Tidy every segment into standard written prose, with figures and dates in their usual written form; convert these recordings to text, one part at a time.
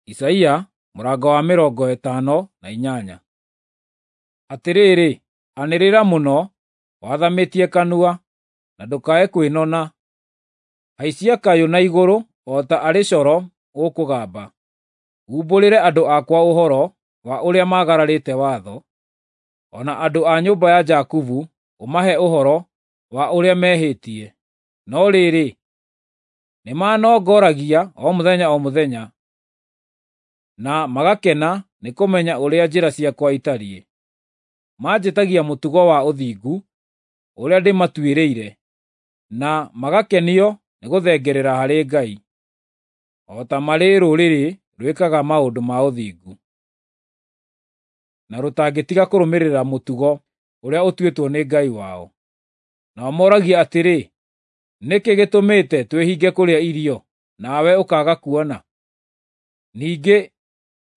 Isaia mũrango wa 58. Atĩrĩrĩ, anĩrĩra mũno, wathamĩtie kanua, na ndũkae kwĩnona. Haicia kayũ na igũrũ o ta arĩ coro ũkũgamba. Umbũrĩre andũ akwa ũhoro wa ũrĩa maagararĩte watho, o na andũ a nyũmba ya Jakubu ũmahe ũhoro wa ũrĩa mehĩtie. No rĩrĩ, nĩmanongoragia o mũthenya o mũthenya, na magakena nĩ kũmenya ũrĩa njĩra ciakwa itariĩ. Manjĩtagia mũtugo wa ũthingu ũrĩa ndĩmatuĩrĩire, na magakenio nĩ gũthengerera harĩ Ngai, o ta marĩ rũrĩrĩ rwĩkaga maũndũ ma ũthingu, na rũtangĩtiga kũrũmĩrĩra mũtugo ũrĩa ũtuĩtwo nĩ Ngai wao. Nao moragia atĩrĩ, “Nĩkĩ gĩtũmĩte twĩhinge kũrĩa irio, nawe ũkaaga kuona? Ningĩ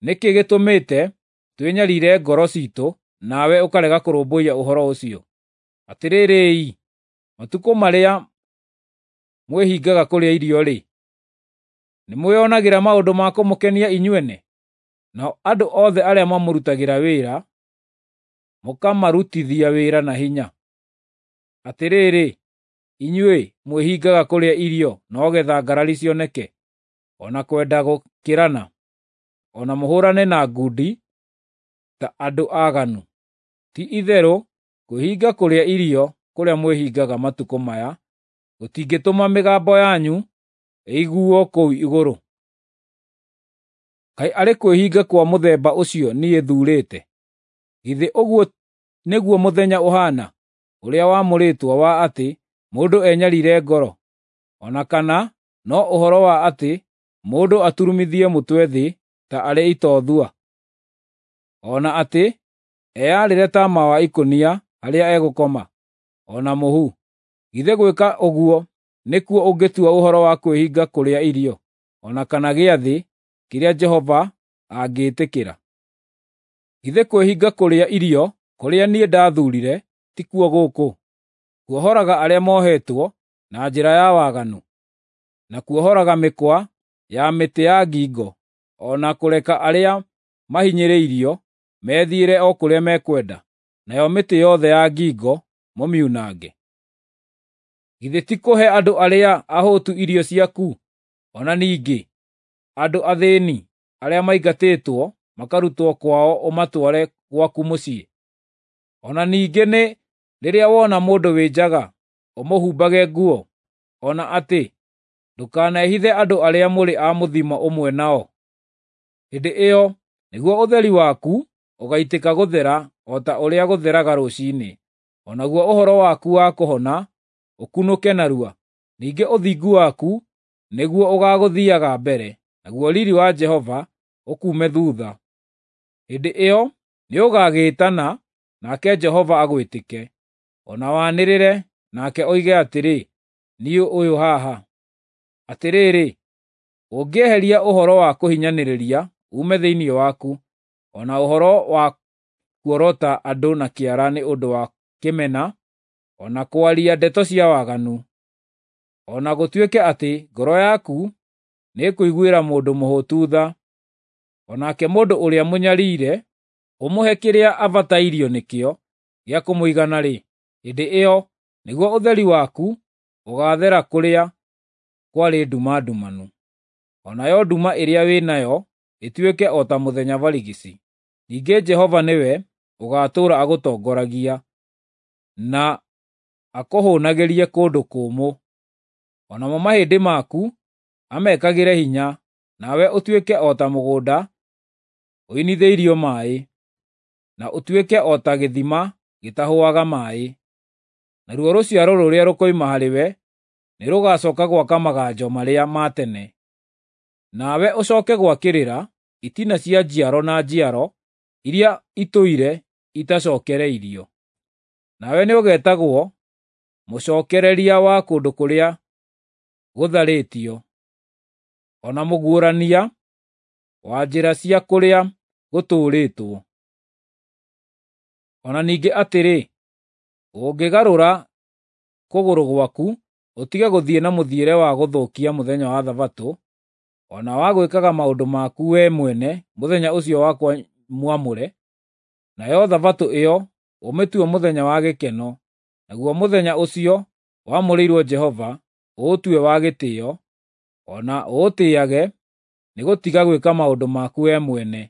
nĩkĩ gĩtũmĩte twĩnyariire ngoro ciitũ, nawe ũkarega kũrũmbũiya ũhoro ũcio?” Atĩrĩrĩ-i, matukũ marĩa mwĩhingaga kũrĩa irio-rĩ, nĩmwĩonagĩra maũndũ ma kũmũkenia inyuene? Nao andũ othe arĩa mamũrutagĩra wĩra, mũkamarutithia wĩra na hinya. Atĩrĩrĩ, inyuĩ mwĩhingaga kũrĩa irio no getha ngarari cioneke, o na kwenda gũkĩrana, o na mũhũrane na ngundi ta andũ aaganu. Ti-itherũ kwĩhinga kũrĩa irio kũrĩa mwĩhingaga matukũ maya gũtingĩtũma mĩgambo yanyu ĩiguo kũu igũrũ. Kaĩ arĩ kwĩhinga kwa mũthemba ũcio niĩ thuurĩte? Githĩ ũguo nĩguo mũthenya ũhaana, ũrĩa wamũrĩtwo wa atĩ mũndũ enyariire ngoro, o na kana no ũhoro wa atĩ mũndũ aturumithie mũtwe thĩ ta arĩ itothua, o na atĩ eyarĩre taama wa ikũnia harĩa egũkoma, o na mũhu? Githĩ gwĩka ũguo nĩkuo ũngĩtua ũhoro wa kwĩhinga kũrĩa irio, o na kana gĩathĩ kĩrĩa Jehova angĩĩtĩkĩra? Githĩ kwĩhinga kũrĩa irio kũrĩa niĩ ndathuurire tikuo gũkũ: kuohoraga arĩa mohetwo na njĩra ya waganu, na kuohoraga mĩkwa ya mĩtĩ ya ngingo, o na kũreka arĩa mahinyĩrĩirio methiĩre o kũrĩa mekwenda, nayo mĩtĩ yothe ya ngingo mũmiunange? Githĩ ti kũhe andũ arĩa ahũtu irio ciaku, o na ningĩ andũ athĩĩni arĩa maingatĩtwo makarutwo kwao ũmatware gwaku mũciĩ? O na ningĩ nĩ rĩrĩa wona mũndũ wĩ njaga ũmũhumbage nguo, o na atĩ ndũkanehithe andũ arĩa mũrĩ a mũthimo ũmwe nao. Hĩndĩ ĩyo nĩguo ũtheri waku ũgaitĩka gũthera o ta ũrĩa gũtheraga rũciinĩ, o naguo ũhoro waku wa kũhona ũkunũke narua. Ningĩ ũthingu waku nĩguo ũgaagũthiiaga mbere, naguo riiri wa Jehova ũkuume thuutha. Hĩndĩ ĩyo nĩũgagĩĩtana, nake Jehova agwĩtĩke, o na wanĩrĩre, nake oige atĩrĩ, “Niĩ ũyũ haha.” Atĩrĩrĩ, ũngĩeheria ũhoro wa kũhinyanĩrĩria uume thĩinĩ waku, o na ũhoro wa kuorota andũ na kĩara nĩ ũndũ wa kĩmena, o na kwaria ndeto cia waganu, o na gũtuĩke atĩ ngoro yaku nĩĩkũiguĩra mũndũ mũhũtu tha, o nake mũndũ ũrĩa mũnyariire ũmũhe kĩrĩa abatairio nĩkĩo gĩa kũmũigana-rĩ, hĩndĩ ĩyo nĩguo ũtheri waku ũgaathera kũrĩa kwarĩ nduma ndumanu, o nayo nduma ĩrĩa wĩ nayo ĩtuĩke o ta mũthenya barigici. Ningĩ Jehova nĩwe ũgaatũũra agũtongoragia, na akũhũũnagĩrie kũndũ kũmũ, o namo mahĩndĩ maku amekagĩre hinya, nawe ũtuĩke o ta mũgũnda ũinithĩirio maaĩ, na ũtuĩke o ta gĩthima gĩtahũaga maaĩ. Naruo rũciaro rũrĩa rũkoima harĩwe nĩrũgacooka gwaka maganjo marĩa ma tene, nawe ũcooke gwakĩrĩra itina cia njiaro na njiaro iria itũire itacookereirio. Nawe nĩũgetagwo Mũcookereria wa kũndũ kũrĩa gũtharĩtio, o na mũguũrania wa njĩra cia kũrĩa gũtũũrĩtwo. O na ningĩ atĩrĩ, ũngĩgarũra kũgũrũ gwaku ũtige gũthiĩ na mũthiĩre wa gũthũkia mũthenya wa Thabatũ, o na wa gwĩkaga maũndũ maku wee mwene mũthenya ũcio wakwa mwamũre, nayo Thabatũ ĩyo ũmĩtue mũthenya wa gĩkeno, naguo mũthenya ũcio wamũrĩirwo Jehova ũũtue wa gĩtĩĩo, o na ũũtĩĩage nĩ gũtiga gwĩka maũndũ maku wee mwene,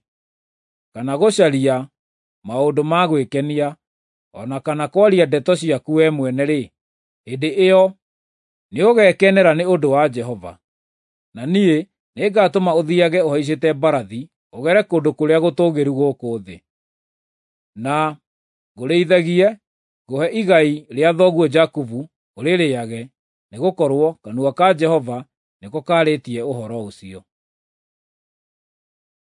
kana gũcaria maũndũ ma gwĩkenia, o na kana kwaria ndeto ciaku wee mwene-rĩ, hĩndĩ ĩyo nĩũgekenera nĩ ũndũ wa Jehova. Na niĩ nĩngatũma ũthiiage ũhaicĩte mbarathi ũgere kũndũ kũrĩa gũtũũgĩru gũkũ thĩ, na ngũrĩithagie, ngũhe igai rĩa thoguo Jakubu ũrĩrĩage, nĩgũkorwo kanua ka Jehova nĩko kaarĩtie ũhoro ũcio.